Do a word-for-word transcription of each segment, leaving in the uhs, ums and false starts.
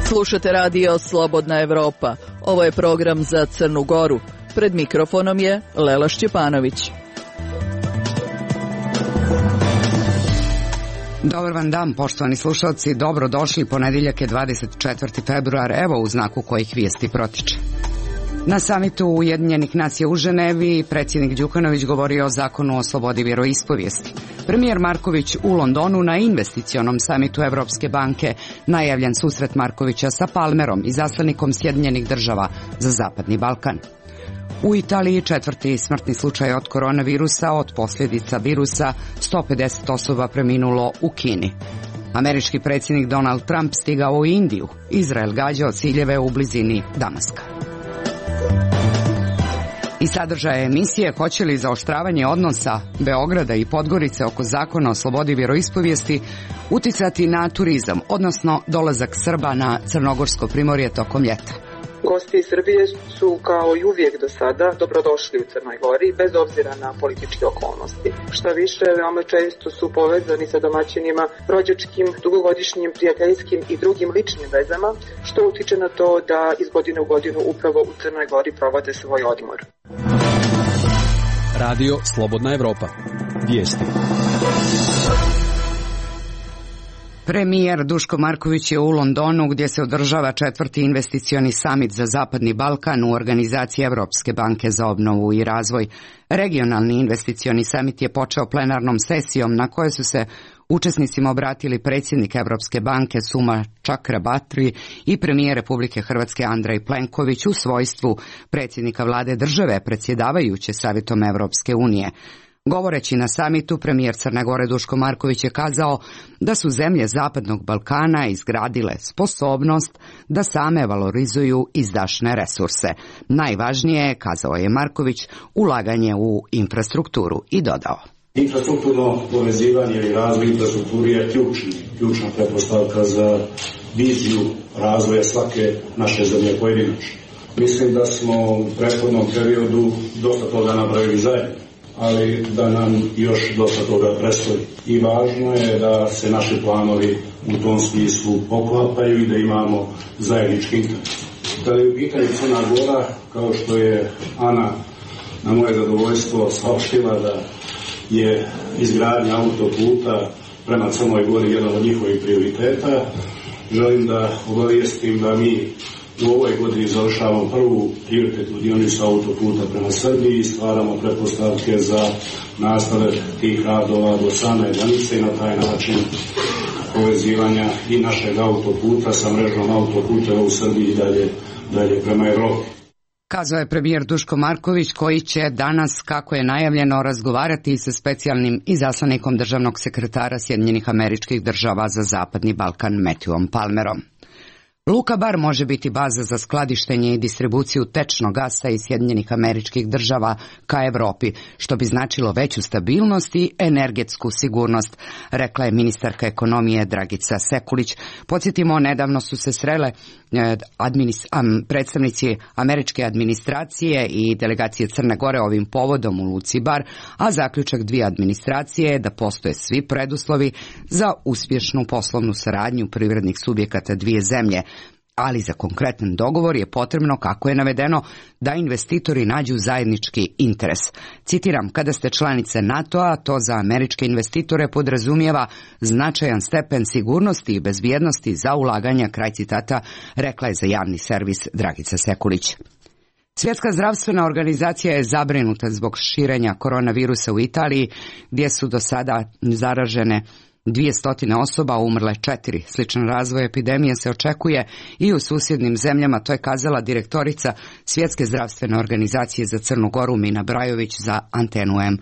Slušate radio Slobodna Evropa. Ovo je program za Crnu Goru. Pred mikrofonom je Lela Šćepanović. Dobar vam dan, poštovani slušalci. Dobro došli, ponedjeljak je dvadeset četvrti februar, evo u znaku kojih vijesti protiče. Na samitu Ujedinjenih nacija u Ženevi predsjednik Đukanović govorio o zakonu o slobodi vjeroispovijesti. Premijer Marković u Londonu na investicionom samitu Evropske banke, najavljen susret Markovića sa Palmerom, izaslanikom Sjedinjenih država za Zapadni Balkan. U Italiji četvrti smrtni slučaj od koronavirusa, od posljedica virusa sto pedeset osoba preminulo u Kini. Američki predsjednik Donald Trump stigao u Indiju, Izrael gađao ciljeve u blizini Damaska. I sadržaje emisije hoće li zaoštravanje odnosa Beograda i Podgorice oko zakona o slobodi vjeroispovijesti uticati na turizam, odnosno dolazak Srba na crnogorsko primorje tokom ljeta. Gosti iz Srbije su kao i uvijek do sada dobrodošli u Crnoj Gori bez obzira na političke okolnosti. Šta više, veoma često su povezani sa domaćinima rođačkim, dugogodišnjim, prijateljskim i drugim ličnim vezama, što utiče na to da iz godine u godinu upravo u Crnoj Gori provode svoj odmor. Radio Slobodna Evropa. Vijesti. Premijer Duško Marković je u Londonu gdje se održava četvrti investicioni samit za Zapadni Balkan u organizaciji Evropske banke za obnovu i razvoj. Regionalni investicioni samit je počeo plenarnom sesijom na kojoj su se učesnicima obratili predsjednik Evropske banke Suma Čakrabarti i premijer Republike Hrvatske Andrej Plenković u svojstvu predsjednika vlade države predsjedavajuće Savjetom Evropske unije. Govoreći na samitu, premijer Crne Gore Duško Marković je kazao da su zemlje Zapadnog Balkana izgradile sposobnost da same valorizuju izdašne resurse. Najvažnije, kazao je Marković, ulaganje u infrastrukturu i dodao. Infrastrukturno povezivanje i razvoj infrastrukture je ključni, ključna pretpostavka za viziju razvoja svake naše zemlje pojedinačno. Mislim da smo u prethodnom periodu dosta toga napravili zajedno, ali da nam još dosta toga predstoji. I važno je da se naši planovi u tom smislu poklapaju i da imamo zajednički interes. Da je u pitanju Crna Gora, kao što je Ana na moje zadovoljstvo saopštila da je izgradnja autoputa prema Crnoj Gori jedan od njihovih prioriteta, želim da obavijestim da mi u ovoj godini završavamo prvu prioritetnu dionicu autoputa prema Srbiji i stvaramo pretpostavke za nastavak tih radova do same granice i na taj način povezivanja i našeg autoputa sa mrežom autoputeva u Srbiji i dalje, dalje prema Evropi. Kazao je premijer Duško Marković koji će danas, kako je najavljeno, razgovarati sa specijalnim izaslanikom državnog sekretara Sjedinjenih Američkih Država za Zapadni Balkan Matthewom Palmerom. Luka Bar može biti baza za skladištenje i distribuciju tečnog gasa iz Sjedinjenih Američkih Država ka Evropi, što bi značilo veću stabilnost i energetsku sigurnost, rekla je ministarka ekonomije Dragica Sekulić. Podsjetimo, nedavno su se srele administ, am, predstavnici američke administracije i delegacije Crne Gore ovim povodom u Luci Bar, a zaključak dvije administracije je da postoje svi preduslovi za uspješnu poslovnu saradnju privrednih subjekata dvije zemlje. Ali za konkretan dogovor je potrebno, kako je navedeno, da investitori nađu zajednički interes. Citiram, kada ste članice NATO-a, to za američke investitore podrazumijeva značajan stepen sigurnosti i bezbjednosti za ulaganja, kraj citata, rekla je za javni servis Dragica Sekulić. Svjetska zdravstvena organizacija je zabrinuta zbog širenja koronavirusa u Italiji, gdje su do sada zaražene dvije stotine osoba, umrle četiri. Sličan razvoj epidemije se očekuje i u susjednim zemljama, to je kazala direktorica Svjetske zdravstvene organizacije za Crnu Goru Mina Brajović za Antenu M.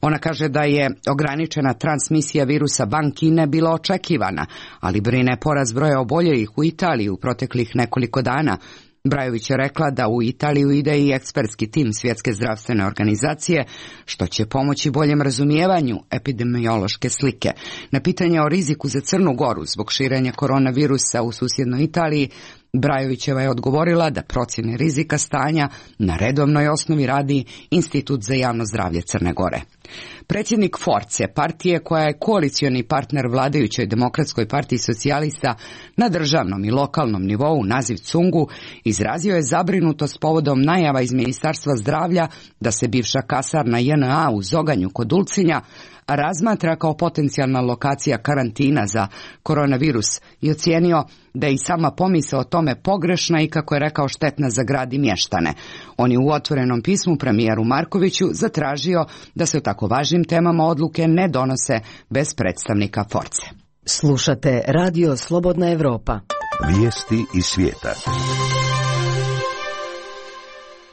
Ona kaže da je ograničena transmisija virusa bankine bila očekivana, ali brine porast broja oboljelih u Italiji u proteklih nekoliko dana. Brajović je rekla da u Italiju ide i ekspertski tim Svjetske zdravstvene organizacije, što će pomoći boljem razumijevanju epidemiološke slike. Na pitanje o riziku za Crnu Goru zbog širenja koronavirusa u susjednoj Italiji, Brajovićeva je odgovorila da procjene rizika stanja na redovnoj osnovi radi Institut za javno zdravlje Crne Gore. Predsjednik Force, partije koja je koalicioni partner vladajućoj Demokratskoj partiji socijalista na državnom i lokalnom nivou, naziv Cungu, izrazio je zabrinutost povodom najava iz Ministarstva zdravlja da se bivša kasarna J N A u Zoganju kod Ulcinja razmatra kao potencijalna lokacija karantina za koronavirus i ocijenio da je i sama pomisao o tome pogrešna i, kako je rekao, štetna za grad i mještane. On je u otvorenom pismu premijeru Markoviću zatražio da se o tako važnim temama odluke ne donose bez predstavnika Force. Slušate Radio Slobodna Evropa. Vijesti iz svijeta.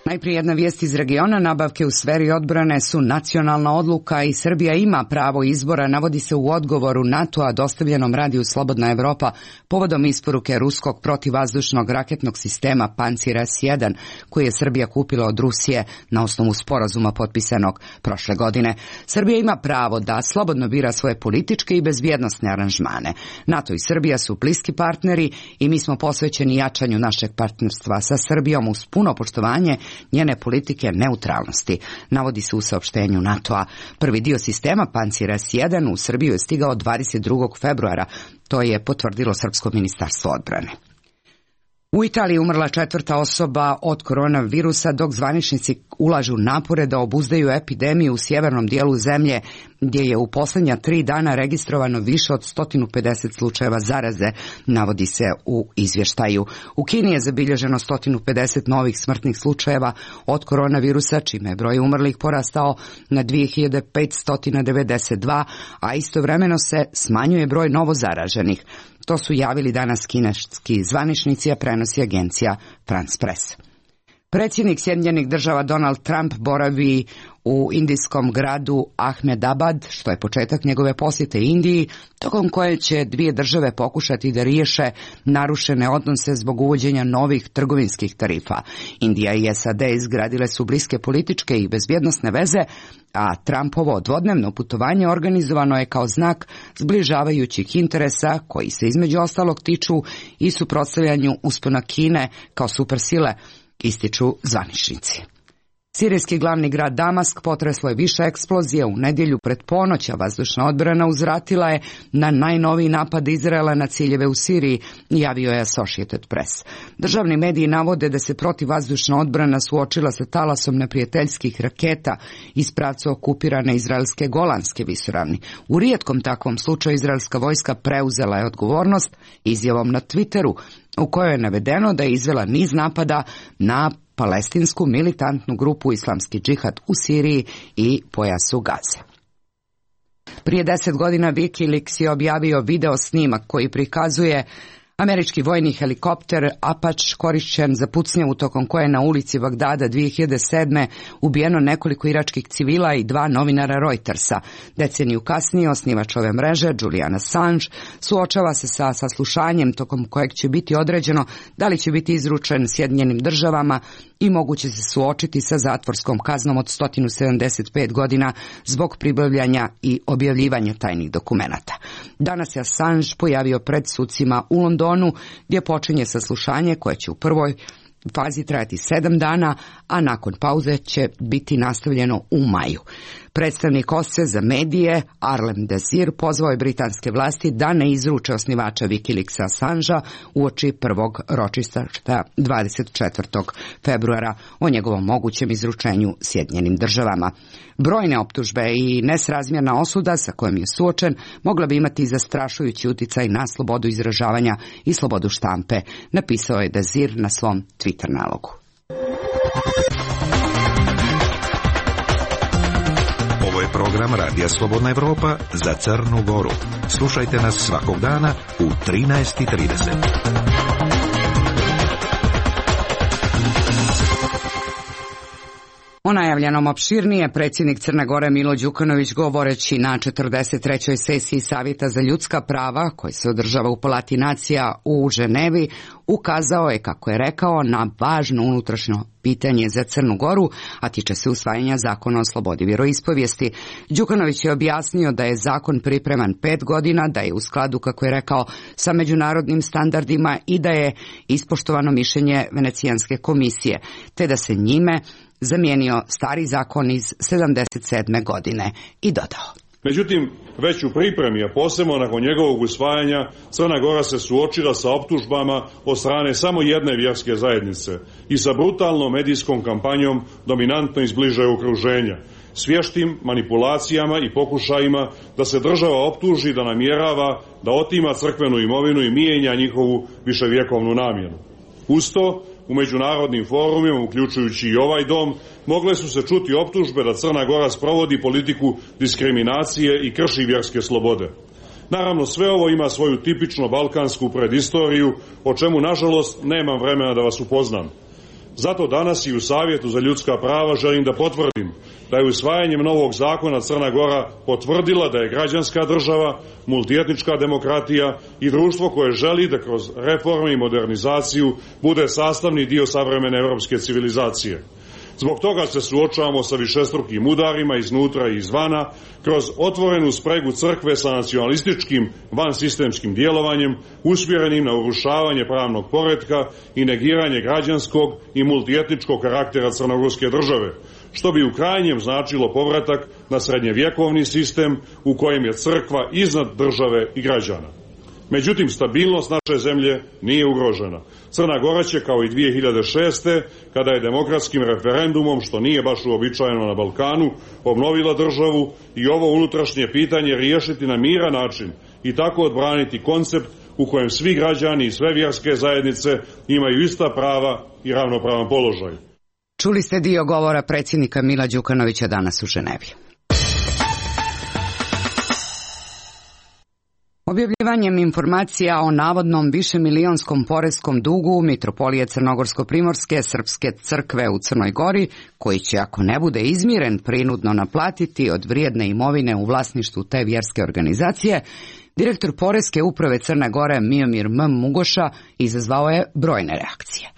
Najprije jedna vijest iz regiona. Nabavke u sferi odbrane su nacionalna odluka i Srbija ima pravo izbora, navodi se u odgovoru NATO-a dostavljenom radiju Slobodna Evropa povodom isporuke ruskog protivvazdušnog raketnog sistema Pancir S jedan, koji je Srbija kupila od Rusije na osnovu sporazuma potpisanog prošle godine. Srbija ima pravo da slobodno bira svoje političke i bezbjednosne aranžmane. NATO i Srbija su bliski partneri i mi smo posvećeni jačanju našeg partnerstva sa Srbijom uz puno poštovanje njene politike neutralnosti, navodi se u saopštenju NATO-a. Prvi dio sistema Pancir S jedan u Srbiju je stigao dvadeset drugog februara, to je potvrdilo Srpsko ministarstvo odbrane. U Italiji umrla četvrta osoba od koronavirusa, dok zvaničnici ulažu napore da obuzdaju epidemiju u sjevernom dijelu zemlje, gdje je u posljednja tri dana registrovano više od sto pedeset slučajeva zaraze, navodi se u izvještaju. U Kini je zabilježeno sto pedeset novih smrtnih slučajeva od koronavirusa, čime je broj umrlih porastao na dvije hiljade petsto devedeset dva, a istovremeno se smanjuje broj novo zaraženih. To su javili danas kineski zvaničnici, a prenosi agencija France Press. Predsjednik Sjedinjenih država Donald Trump boravi u indijskom gradu Ahmedabad, što je početak njegove posjete Indiji, tokom koje će dvije države pokušati da riješe narušene odnose zbog uvođenja novih trgovinskih tarifa. Indija i S A D izgradile su bliske političke i bezbjednosne veze, a Trumpovo dvodnevno putovanje organizovano je kao znak zbližavajućih interesa koji se između ostalog tiču i suprotstavljanju uspona Kine kao supersile, ističu zvaničnici. Sirijski glavni grad Damask potreslo je više eksplozije u nedjelju pred ponoć, a vazdušna odbrana uzvratila je na najnoviji napad Izraela na ciljeve u Siriji, javio je Associated Press. Državni mediji navode da se protivvazdušna odbrana suočila sa talasom neprijateljskih raketa iz pravca okupirane izraelske Golanske visoravni. U rijetkom takvom slučaju izraelska vojska preuzela je odgovornost izjavom na Twitteru, u kojoj je navedeno da je izvela niz napada na palestinsku militantnu grupu Islamski džihad u Siriji i pojasu Gaze. Prije deset godina Wikileaks je objavio video snimak koji prikazuje američki vojni helikopter Apache korišćen za pucnjavu tokom koje je na ulici Bagdada dvije hiljade sedme ubijeno nekoliko iračkih civila i dva novinara Reutersa. Deceniju kasnije osnivač ove mreže, Julian Assange, suočava se sa saslušanjem tokom kojeg će biti određeno da li će biti izručen Sjedinjenim državama i moguće se suočiti sa zatvorskom kaznom od sto sedamdeset pet godina zbog pribavljanja i objavljivanja tajnih dokumenata. Danas je Assange pojavio pred sucima u Londonu, gdje počinje saslušanje koje će u prvoj fazi trajati sedam dana, a nakon pauze će biti nastavljeno u maju. Predstavnik O S C E za medije, Arlem Desir, pozvao je britanske vlasti da ne izruče osnivača Wikileaksa Assangea uoči prvog ročišta dvadeset četvrtog februara o njegovom mogućem izručenju Sjedinjenim državama. Brojne optužbe i nesrazmjerna osuda sa kojom je suočen mogla bi imati zastrašujući utjecaj na slobodu izražavanja i slobodu štampe, napisao je Desir na svom Twitter nalogu. Ovo je program Radija Slobodna Evropa za Crnu Goru. Slušajte nas svakog dana u trinaest i trideset. O najavljenom opširnije predsjednik Crne Gore Milo Đukanović, govoreći na četrdeset trećoj sesiji Savjeta za ljudska prava koji se održava u Palati nacija u Ženevi, ukazao je, kako je rekao, na važno unutrašnjo pitanje za Crnu Goru, a tiče se usvajanja zakona o slobodi vjeroispovijesti. Đukanović je objasnio da je zakon pripreman pet godina, da je u skladu, kako je rekao, sa međunarodnim standardima i da je ispoštovano mišljenje Venecijanske komisije, te da se njime zamijenio stari zakon iz sedamdeset sedme godine i dodao. Međutim, već u pripremi, a posebno nakon njegovog usvajanja, Crna Gora se suočila sa optužbama od strane samo jedne vjerske zajednice i sa brutalnom medijskom kampanjom dominantno iz bližeg okruženja, s vještim manipulacijama i pokušajima da se država optuži da namjerava da otima crkvenu imovinu i mijenja njihovu viševjekovnu namjenu. Uz to, u međunarodnim forumima, uključujući i ovaj dom, mogle su se čuti optužbe da Crna Gora sprovodi politiku diskriminacije i krši vjerske slobode. Naravno, sve ovo ima svoju tipično balkansku predistoriju, o čemu, nažalost, nemam vremena da vas upoznam. Zato danas i u Savjetu za ljudska prava želim da potvrdim da je usvajanjem novog zakona Crna Gora potvrdila da je građanska država, multietnička demokratija i društvo koje želi da kroz reforme i modernizaciju bude sastavni dio savremene europske civilizacije. Zbog toga se suočavamo sa višestrukim udarima iznutra i izvana, kroz otvorenu spregu crkve sa nacionalističkim vansistemskim djelovanjem, usmjerenim na urušavanje pravnog poretka i negiranje građanskog i multietničkog karaktera crnogorske države, što bi u krajnjem značilo povratak na srednjevjekovni sistem u kojem je crkva iznad države i građana. Međutim, stabilnost naše zemlje nije ugrožena. Crna Gora će, kao i dvije hiljade šeste. kada je demokratskim referendumom, što nije baš uobičajeno na Balkanu, obnovila državu i ovo unutrašnje pitanje riješiti na miran način i tako odbraniti koncept u kojem svi građani i sve vjerske zajednice imaju ista prava i ravnopravan položaj. Čuli ste dio govora predsjednika Mila Đukanovića danas u Ženevi. Objavljivanjem informacija o navodnom višemilijonskom poreskom dugu Mitropolije Crnogorsko-Primorske Srpske crkve u Crnoj Gori, koji će, ako ne bude izmiren, prinudno naplatiti od vrijedne imovine u vlasništvu te vjerske organizacije, direktor Poreske uprave Crne Gore Miomir M. Mugoša izazvao je brojne reakcije.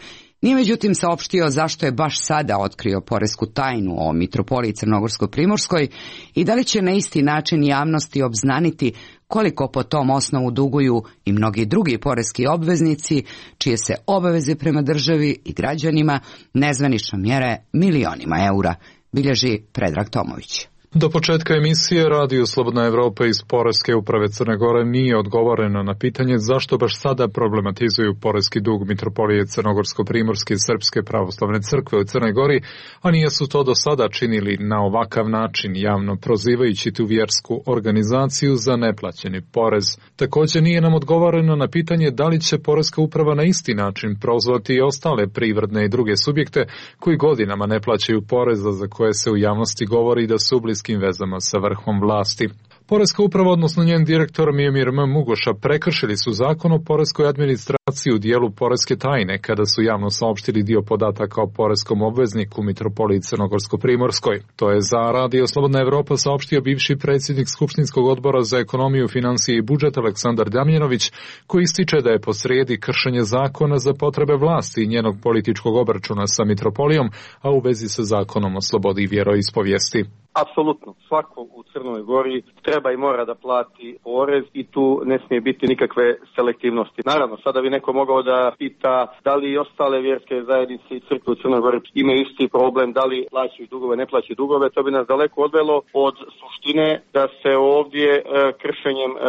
Nije međutim saopštio zašto je baš sada otkrio poresku tajnu o Mitropoliji Crnogorsko-Primorskoj i da li će na isti način javnosti obznaniti koliko po tom osnovu duguju i mnogi drugi poreski obveznici, čije se obaveze prema državi i građanima nezvanično mjere milionima eura, bilježi Predrag Tomović. Do početka emisije Radio Slobodna Evropa iz Poreske uprave Crne Gore nije odgovoreno na pitanje zašto baš sada problematizuju poreski dug Mitropolije Crnogorsko-Primorske Srpske pravoslavne crkve u Crnoj Gori, a nije su to do sada činili na ovakav način, javno prozivajući tu vjersku organizaciju za neplaćeni porez. Također nije nam odgovoreno na pitanje da li će Poreska uprava na isti način prozvati i ostale privredne i druge subjekte koji godinama ne plaćaju poreza za koje se u javnosti govori da su u bliskim vezama sa vrhom vlasti. Poreska uprava, odnosno njen direktor Miomir M. Mugoša, prekršili su zakon o poreskoj administraciji u dijelu poreske tajne kada su javno saopštili dio podataka o poreskom obvezniku Mitropoliji Crnogorsko-Primorskoj. To je za Radio Slobodna Evropa saopštio bivši predsjednik Skupštinskog odbora za ekonomiju, financije i budžet Aleksandar Damjanović, koji ističe da je posrijedi kršenje zakona za potrebe vlasti i njenog političkog obračuna sa Mitropolijom, a u vezi sa zakonom o slobodi vjeroispovijesti. Apsolutno, svako u Crnoj Gori treba i mora da plati porez i tu ne smije biti nikakve selektivnosti. Naravno, sada bi neko mogao da pita da li i ostale vjerske zajednice i crkve u Crnoj Gori imaju isti problem, da li plaćaju dugove, ne plaćaju dugove. To bi nas daleko odvelo od suštine da se ovdje e, kršenjem e,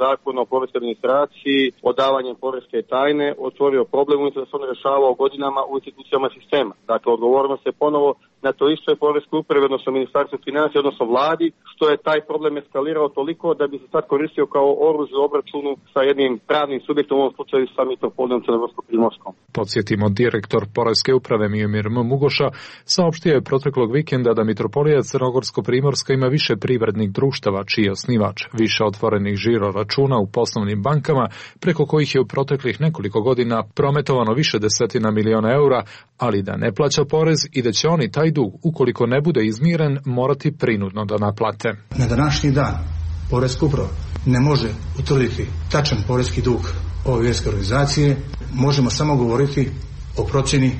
zakona o poreskoj administraciji, odavanjem poreske tajne otvorio problem umjesto da se on rješavao godinama u institucijama sistema. Dakle, odgovornost je ponovo na to isto je Poreskoj upravi, odnosno Ministarstvo financija, odnosno vladi, što je taj problem eskalirao toliko da bi se sad koristio kao oružje u obračunu sa jednim pravnim subjektom, u ovom slučaju sa Mitropolijom Crnogorsko-Primorskom. Podsjetimo, direktor Poreske uprave Miomir M. Mugoša saopštio je proteklog vikenda da Mitropolija Crnogorsko-Primorska ima više privrednih društava čiji je osnivač, više otvorenih žiro računa u poslovnim bankama, preko kojih je u proteklih nekoliko godina prometovano više desetina miliona eura, ali da ne plaća porez i da će oni taj dug, ukoliko ne bude izmiren, morati prinudno da naplate. Na današnji dan Poreska uprava ne može utvrditi tačan poreski dug ove vjerske organizacije, možemo samo govoriti o procjeni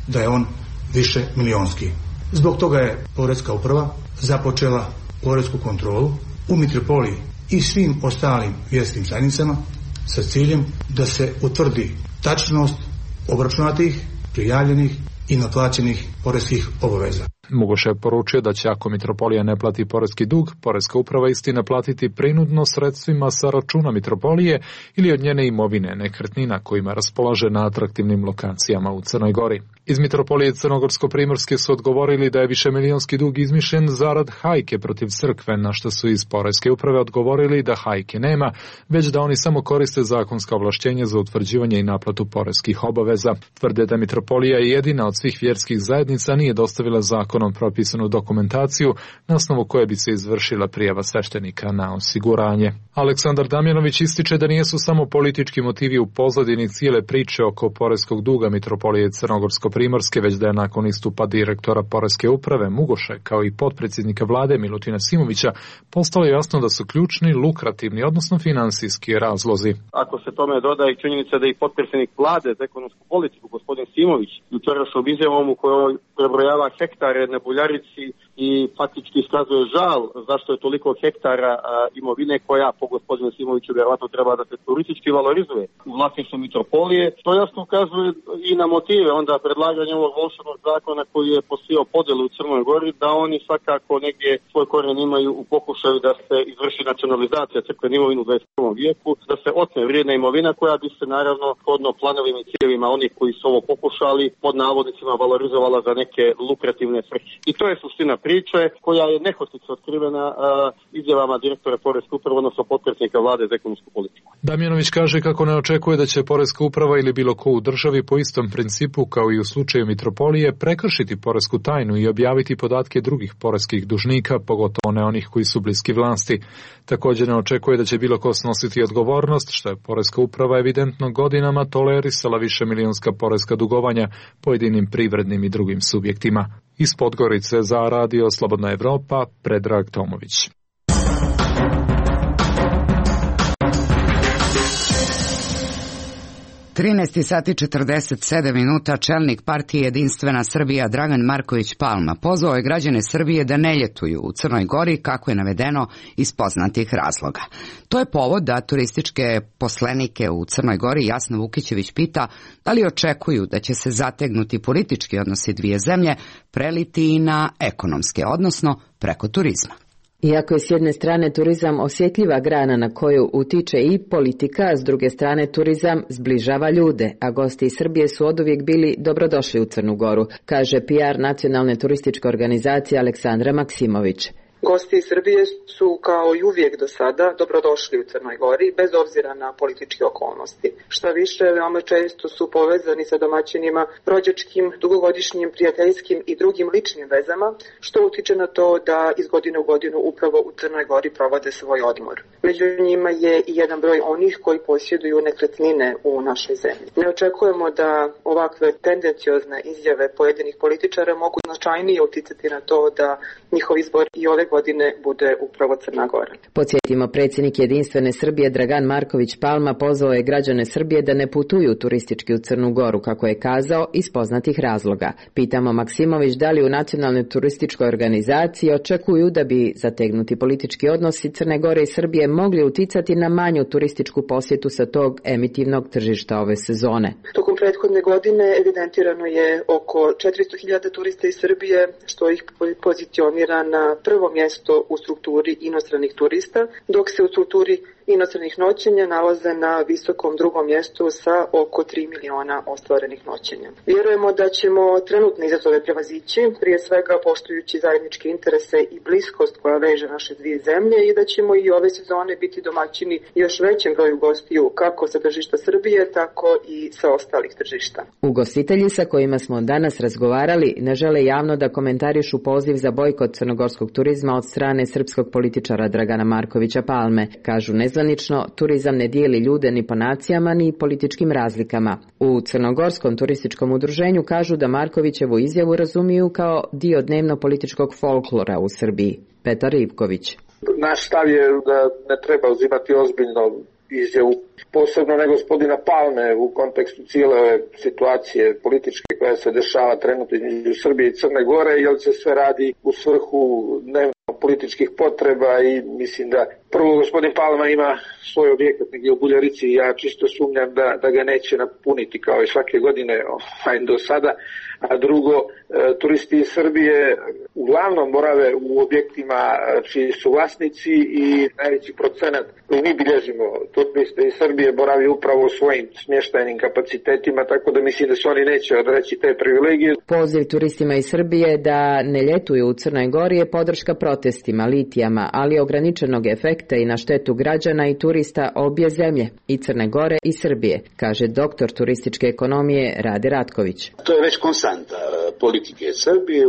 da je on više milionski. Zbog toga je Poreska uprava započela poresku kontrolu u mitropoliji i svim ostalim vjerskim zajednicama sa ciljem da se utvrdi tačnost obračunatih, prijavljenih i naplaćenih poreskih obaveza. Mugoš je poručio da će ako mitropolija ne plati poreski dug, Poreska uprava isti naplatiti prinudno sredstvima sa računa mitropolije ili od njene imovine, nekretnina kojima raspolaže na atraktivnim lokacijama u Crnoj Gori. Iz mitropolije Crnogorsko-Primorske su odgovorili da je višemilijonski dug izmišljen zarad hajke protiv crkve, na što su iz Poreske uprave odgovorili da hajke nema, već da oni samo koriste zakonska ovlašćenja za utvrđivanje i naplatu poreskih obaveza. Tvrde da mitropolija je jedina od svih vjerskih zajednica nije dostavila zakonom propisanu dokumentaciju na osnovu koje bi se izvršila prijava sveštenika na osiguranje. Aleksandar Damjanović ističe da nisu samo politički motivi u pozadini cijele priče oko poreskog duga mitropolije Crnogorsko-Primorske, već da je nakon istupa direktora Poreske uprave Mugoše kao i potpredsjednika vlade Milutina Simovića postalo jasno da su ključni lukrativni, odnosno finansijski razlozi. Ako se tome doda i činjenica da i potpredsjednik vlade za ekonomsku politiku gospodin Simović jučerašnjom izjavom u kojoj prebrojava hektare na Buljarici i faktički iskazuje žal zašto je toliko hektara a, imovine koja po gospodinu Simoviću vjerovatno treba da se turistički valorizuje u vlasništvu mitropolije, što jasno ukazuje i na motive onda predlaganja ovog volšebnog zakona koji je posijao podjelu u Crnoj Gori, da oni svakako negdje svoj korijen imaju u pokušaju da se izvrši nacionalizacija crkvene imovine u dvadeset prvom vijeku, da se otme vrijedna imovina koja bi se naravno shodno planovima i ciljevima onih koji su ovo pokušali pod navodnicima valorizovala za neke lukrativne svrhe. I to je suština priče koja je nehotice otkrivena a, izjavama direktora Poreske uprave, odnosno potpredsjednika vlade za ekonomsku politiku. Damjanović kaže kako ne očekuje da će Poreska uprava ili bilo ko u državi po istom principu kao i u slučaju mitropolije prekršiti poresku tajnu i objaviti podatke drugih poreskih dužnika, pogotovo ne onih koji su bliski vlasti. Također ne očekuje da će bilo ko snositi odgovornost, što je Poreska uprava evidentno godinama tolerisala višemilijonska poreska dugovanja pojedinim privrednim i drugim subjektima. Iz Podgorice za Radio Slobodna Evropa, Predrag Tomović. trinaest sati četrdeset sedam minuta, čelnik partije Jedinstvena Srbija Dragan Marković Palma pozvao je građane Srbije da ne ljetuju u Crnoj Gori, kako je navedeno iz poznatih razloga. To je povod da turističke poslenike u Crnoj Gori Jasna Vukićević pita da li očekuju da će se zategnuti politički odnosi dvije zemlje preliti i na ekonomske, odnosno preko turizma. Iako je s jedne strane turizam osjetljiva grana na koju utiče i politika, a s druge strane turizam zbližava ljude, a gosti iz Srbije su oduvijek bili dobrodošli u Crnu Goru, kaže P R nacionalne turističke organizacije Aleksandra Maksimović. Gosti iz Srbije su kao i uvijek do sada dobrodošli u Crnoj Gori bez obzira na političke okolnosti. Šta više, veoma često su povezani sa domaćinima rođačkim, dugogodišnjim, prijateljskim i drugim ličnim vezama, što utiče na to da iz godine u godinu upravo u Crnoj Gori provode svoj odmor. Među njima je i jedan broj onih koji posjeduju nekretnine u našoj zemlji. Ne očekujemo da ovakve tendenciozne izjave pojedinih političara mogu značajnije uticati na to da njihov izbor i ove godine bude upravo Crna Gora. Podsjetimo, predsjednik Jedinstvene Srbije Dragan Marković Palma pozvao je građane Srbije da ne putuju turistički u Crnu Goru, kako je kazao, iz poznatih razloga. Pitamo Maksimović da li u nacionalnoj turističkoj organizaciji očekuju da bi zategnuti politički odnosi Crne Gore i Srbije mogli uticati na manju turističku posjetu sa tog emitivnog tržišta ove sezone. Tokom prethodne godine evidentirano je oko četiristo hiljada turista iz Srbije, što ih pozicionira na prvo mjesto u strukturi inostranih turista, dok se u strukturi inostranih noćenja nalaze na visokom drugom mjestu sa oko tri miliona ostvarenih noćenja. Vjerujemo da ćemo trenutne izazove prevazići, prije svega poštujući zajedničke interese i bliskost koja veže naše dvije zemlje, i da ćemo i ove sezone biti domaćini još većem broju gostiju, kako sa tržišta Srbije, tako i sa ostalih tržišta. Ugostitelji sa kojima smo danas razgovarali ne žele javno da komentarišu poziv za bojkot crnogorskog turizma od strane srpskog političara Dragana Markovića Palme. Kažu, ne nezvanično, turizam ne dijeli ljude ni po nacijama ni političkim razlikama. U Crnogorskom turističkom udruženju kažu da Markovićevu izjavu razumiju kao dio dnevno-političkog folklora u Srbiji. Petar Ivković. Naš stav je da ne treba uzimati ozbiljno izjavu, posebno ne gospodina Palme u kontekstu cijele ove situacije političke koja se dešava trenutno između Srbije i Crne Gore, jer se sve radi u svrhu dnevno političkih potreba i mislim da prvo gospodin Palma ima svoj objekat negdje u Buljarici i ja čisto sumnjam da, da ga neće napuniti kao i svake godine ovaj, do sada, a drugo, e, turisti iz Srbije uglavnom borave u objektima čiji su vlasnici i najveći procenat koji mi bilježimo turiste iz Srbije boravi upravo u svojim smještajnim kapacitetima, tako da mislim da se oni neće odreći te privilegije. Poziv turistima iz Srbije da ne ljetuju u Crnoj Gori je podrška protestima, litijama, ali ograničenog efekta i na štetu građana i turista obje zemlje, i Crne Gore i Srbije, kaže doktor turističke ekonomije Rade Ratković. To je već konstanta politike Srbije,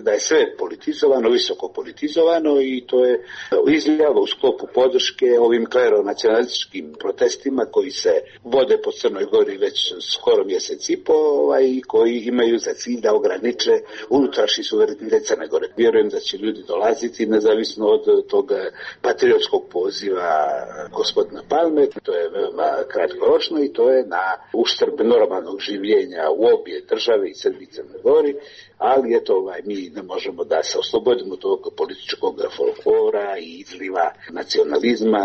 da je sve politizovano, visoko politizovano i to je izljava u sklopu podrške ovim kleronacionalističkim protestima koji se vode po Crnoj Gori već skoro mjesec i po i koji imaju za cilj da ograniče unutrašnji suverenitet Crne Gore. Vjerujem da će ljudi dolaziti nezavisno od tog patriotskog poziva gospodina Palme. To je veoma kratkoročno i to je na uštrb normalnog življenja u obje države i Srbiji i Crnoj Gori, ali eto, ovaj, mi ne možemo da se oslobodimo tog političkog folklora i izliva nacionalizma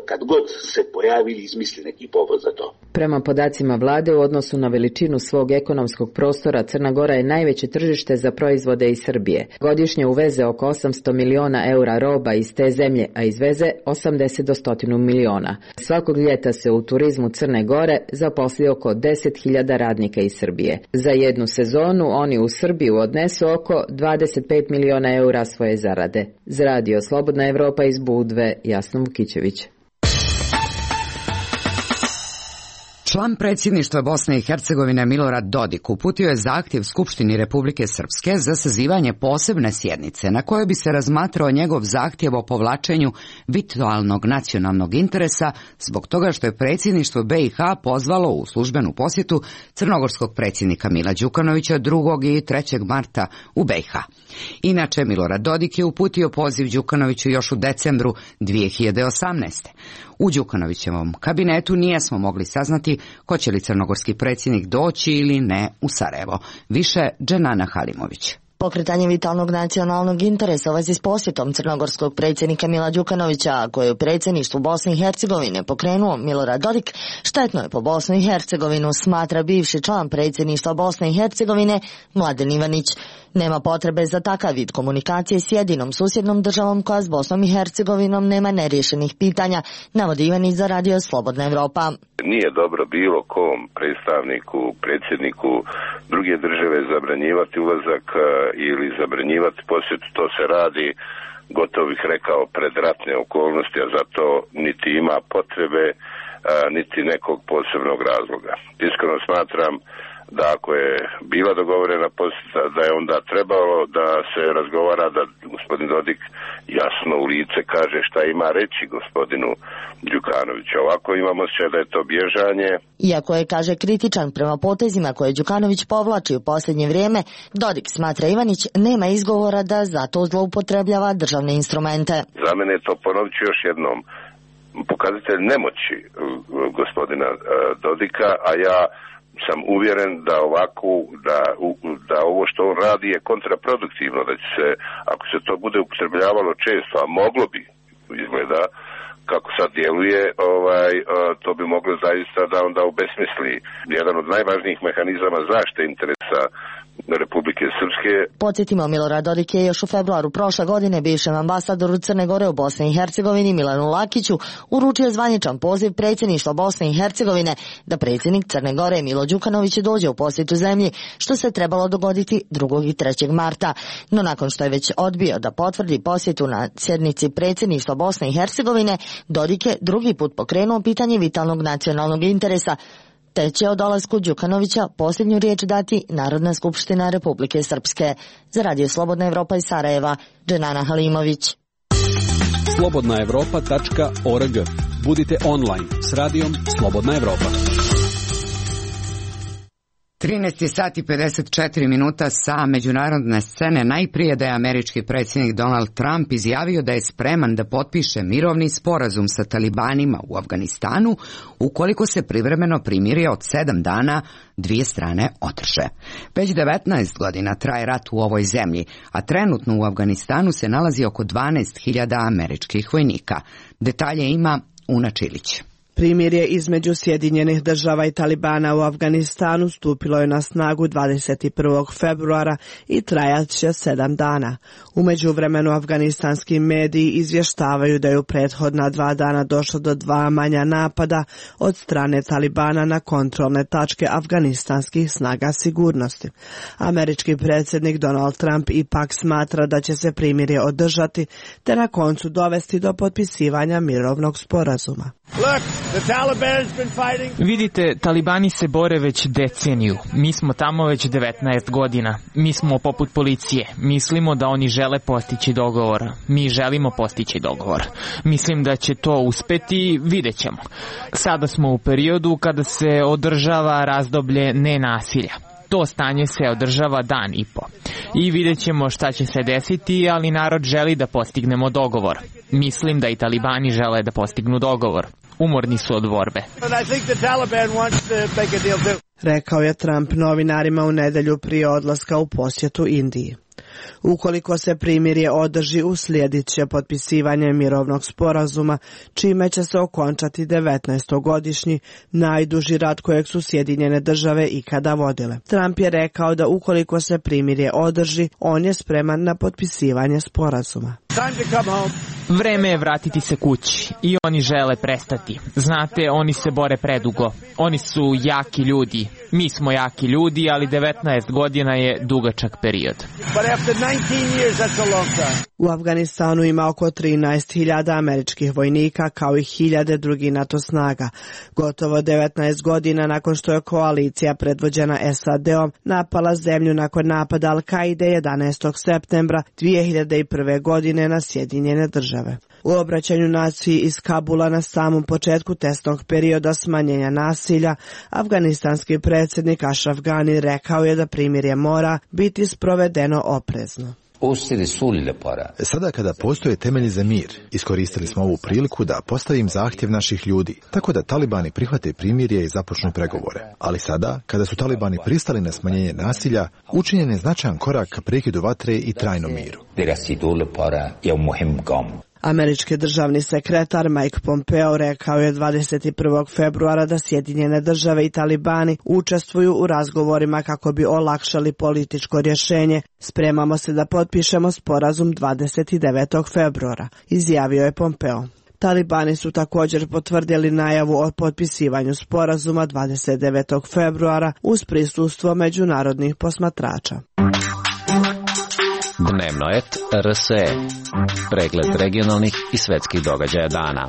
kad god se pojavi i izmisli neki povod za to. Prema podacima vlade, u odnosu na veličinu svog ekonomskog prostora, Crna Gora je najveće tržište za proizvode iz Srbije. Godišnje uveze oko osamsto miliona eura roba iz te zemlje, a izveze osamdeset do sto miliona. Svakog ljeta se u turizmu Crne Gore zaposli oko deset hiljada radnika iz Srbije. Za jednu sezonu oni u Srbiju odnesu oko dvadeset pet miliona eura svoje zarade. Za radio Slobodna Evropa iz Budve, Jasno Vukićević. Član predsjedništva Bosne i Hercegovine Milorad Dodik uputio je zahtjev Skupštini Republike Srpske za sazivanje posebne sjednice na kojoj bi se razmatrao njegov zahtjev o povlačenju vitalnog nacionalnog interesa zbog toga što je predsjedništvo B i H pozvalo u službenu posjetu crnogorskog predsjednika Mila Đukanovića drugog i trećeg marta u B i H. Inače, Milorad Dodik je uputio poziv Đukanoviću još u decembru dvije hiljade osamnaeste. U Đukanovićevom kabinetu nijesmo mogli saznati hoće li crnogorski predsjednik doći ili ne u Sarajevo. Više Dženana Halimović. Pokretanje vitalnog nacionalnog interesa u vezi s posjetom crnogorskog predsjednika Mila Đukanovića, koje je u predsjedništvu Bosne i Hercegovine pokrenuo Milorad Dodik, štetno je po Bosnu i Hercegovinu, smatra bivši član predsjedništva Bosne i Hercegovine Mladen Ivanić. Nema potrebe za takav vid komunikacije s jedinom susjednom državom koja s Bosnom i Hercegovinom nema neriješenih pitanja, navodi Ivanić za radio Slobodna Evropa. Nije dobro bilo kom predstavniku, predsjedniku druge države zabranjivati ulazak ili zabranjivati posjet. To se radi, gotovo bih rekao, pred ratne okolnosti, a za to niti ima potrebe, niti nekog posebnog razloga. Iskreno smatram da ako je bila dogovorena posjeta, da je onda trebalo da se razgovara, da gospodin Dodik jasno u lice kaže šta ima reći gospodinu Đukanoviću. Ovako imamo osjećaj da je to bježanje. Iako je, kaže, kritičan prema potezima koje Đukanović povlači u posljednje vrijeme, Dodik, smatra Ivanić, nema izgovora da zato zloupotrebljava državne instrumente. Za mene je to, ponovit ću još jednom, pokazatelj nemoći gospodina Dodika, a ja sam uvjeren da ovako, da, da ovo što on radi je kontraproduktivno, da će se, ako se to bude upotrebljavalo često, a moglo bi, izgleda, kako sad djeluje, ovaj, to bi moglo zaista da onda obesmisli jedan od najvažnijih mehanizama zaštite interesa Republike Srpske. Podsjetimo, Milorad Dodik je još u februaru prošle godine bivšem ambasadoru Crne Gore u Bosni i Hercegovini Milanu Lakiću uručio zvaničan poziv predsjedništva Bosne i Hercegovine da predsjednik Crne Gore Milo Đukanović dođe u posjetu zemlji, što se trebalo dogoditi drugog i trećeg marta. No nakon što je već odbio da potvrdi posjetu na sjednici predsjedništva Bosne i Hercegovine, Dodik je drugi put pokrenuo pitanje vitalnog nacionalnog interesa, te će o dolasku Đukanovića posljednju riječ dati Narodna skupština Republike Srpske. Za radio Slobodna Evropa iz Sarajeva, Dženana Halimović. slobodna evropa tačka org. Budite online s radijom Slobodna Evropa. trinaest sati i pedeset četiri minuta sa međunarodne scene. Najprije da je američki predsjednik Donald Trump izjavio da je spreman da potpiše mirovni sporazum sa talibanima u Afganistanu ukoliko se privremeno primirje od sedam dana dvije strane održe. Već devetnaest godina traje rat u ovoj zemlji, a trenutno u Afganistanu se nalazi oko dvanaest hiljada američkih vojnika. Detalje ima Una Čilić. Primirje između Sjedinjenih država i Talibana u Afganistanu stupilo je na snagu dvadeset prvog februara i trajat će sedam dana. U međuvremenu afganistanski mediji izvještavaju da je u prethodna dva dana došlo do dva manja napada od strane Talibana na kontrolne tačke afganistanskih snaga sigurnosti. Američki predsjednik Donald Trump ipak smatra da će se primirje održati te na koncu dovesti do potpisivanja mirovnog sporazuma. Vidite, talibani se bore već deceniju. Mi smo tamo već devetnaest godina. Mi smo poput policije. Mislimo da oni žele postići dogovor. Mi želimo postići dogovor. Mislim da će to uspeti, vidjet ćemo. Sada smo u periodu kada se održava razdoblje nenasilja. To stanje se održava dan i po. I vidjet ćemo šta će se desiti, ali narod želi da postignemo dogovor. Mislim da i talibani žele da postignu dogovor. Umorni su od borbe. Rekao je Trump novinarima u nedjelju prije odlaska u posjetu Indiji. Ukoliko se primirje održi, uslijedit će potpisivanje mirovnog sporazuma, čime će se okončati devetnaestogodišnji najduži rat kojeg su Sjedinjene države ikada vodile. Trump je rekao da ukoliko se primirje održi, on je spreman na potpisivanje sporazuma. Vreme je vratiti se kući i oni žele prestati. Znate, oni se bore predugo. Oni su jaki ljudi. Mi smo jaki ljudi, ali devetnaest godina je dugačak period. U Afganistanu ima oko trinaest hiljada američkih vojnika kao i hiljade drugih NATO snaga. Gotovo devetnaest godina nakon što je koalicija predvođena S A D-om napala zemlju nakon napada Al-Kaide jedanaestog septembra dvije hiljade prve. godine na Sjedinjene države. U obraćanju naciji iz Kabula na samom početku testnog perioda smanjenja nasilja, afganistanski predsjednik Ashraf Ghani rekao je da primirje mora biti sprovedeno oprezno. Sada kada postoje temelji za mir, iskoristili smo ovu priliku da postavim zahtjev naših ljudi, tako da talibani prihvate primirje i započnu pregovore. Ali sada, kada su talibani pristali na smanjenje nasilja, učinjen je značajan korak ka prekidu vatre i trajnom miru. Američki državni sekretar Mike Pompeo rekao je dvadeset prvog februara da Sjedinjene države i talibani učestvuju u razgovorima kako bi olakšali političko rješenje. Spremamo se da potpišemo sporazum dvadeset devetog februara, izjavio je Pompeo. Talibani su također potvrdili najavu o potpisivanju sporazuma dvadeset devetog februara uz prisustvo međunarodnih posmatrača. Dnevno et R S E. Pregled regionalnih i svetskih događaja dana.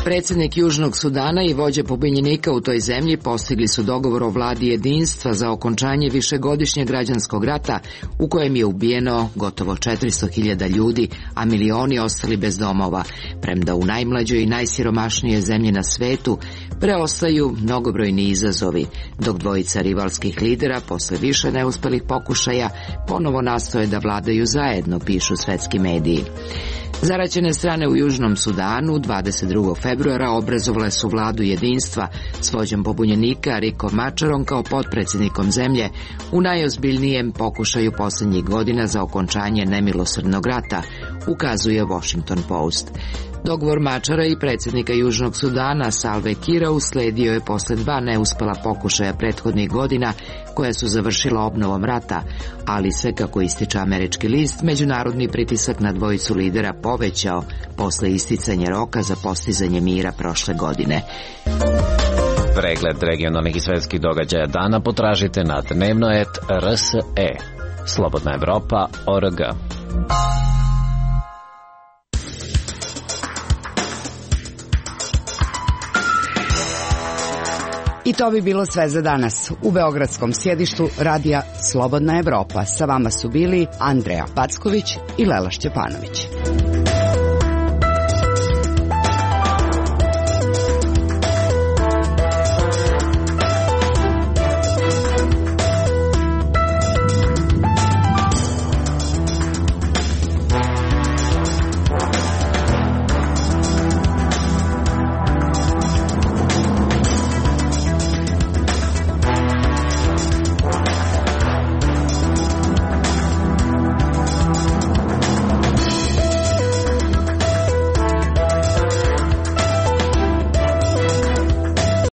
Predsjednik Južnog Sudana i vođe pobunjenika u toj zemlji postigli su dogovor o vladi jedinstva za okončanje višegodišnjeg građanskog rata u kojem je ubijeno gotovo četiristo hiljada ljudi, a milioni ostali bez domova, premda u najmlađoj i najsiromašnijoj zemlji na svetu preostaju mnogobrojni izazovi, dok dvojica rivalskih lidera posle više neuspelih pokušaja ponovo nastoje da vladaju zajedno, pišu svetski mediji. Zaraćene strane u Južnom Sudanu dvadeset drugog februara obrazovale su vladu jedinstva s vođom pobunjenika Rikom Macharom kao potpredsjednikom zemlje u najozbiljnijem pokušaju posljednjih godina za okončanje nemilosrdnog rata, ukazuje Washington Post. Dogovor Machara i predsjednika Južnog Sudana Salve Kira usledio je posle dva neuspela pokušaja prethodnih godina koja su završila obnovom rata, ali se, kako ističe američki list, međunarodni pritisak na dvojicu lidera povećao posle isticanja roka za postizanje mira prošle godine. Pregled regionalnih i svetskih događaja dana potražite na dnevno et R S E. Slobodna Evropa O R G. I to bi bilo sve za danas. U beogradskom sjedištu radija Slobodna Evropa sa vama su bili Andreja Packović i Lela Šćepanović.